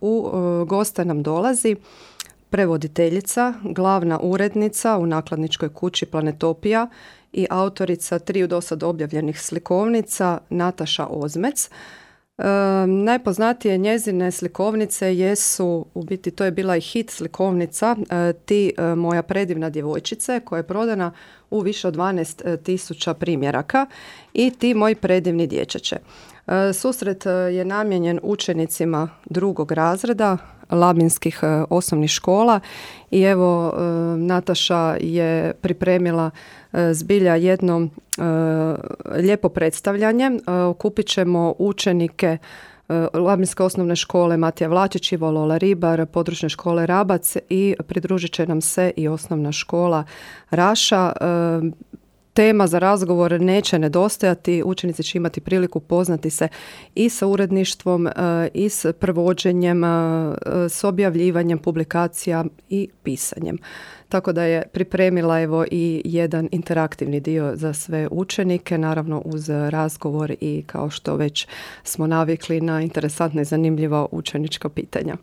u goste nam dolazi prevoditeljica, glavna urednica u nakladničkoj kući Planetopija i autorica 3 do sad objavljenih slikovnica Nataša Ozmec. Najpoznatije njezine slikovnice jesu, u biti to je bila i hit slikovnica Ti moja predivna djevojčice, koja je prodana u više od 12.000 primjeraka, i Ti moji predivni dječače. Susret je namijenjen učenicima 2. razreda labinskih osnovnih škola i evo Nataša je pripremila zbilja jedno lijepo predstavljanje. Okupit ćemo učenike Labinske osnovne škole Matija Vlačić, Ivo Lola Ribar, područne škole Rabac i pridružit će nam se i osnovna škola Raša. Tema za razgovor neće nedostajati, učenici će imati priliku poznati se i sa uredništvom, i s prevođenjem, s objavljivanjem publikacija i pisanjem. Tako da je pripremila evo i jedan interaktivni dio za sve učenike, naravno uz razgovor i kao što već smo navikli na interesantna i zanimljiva učenička pitanja.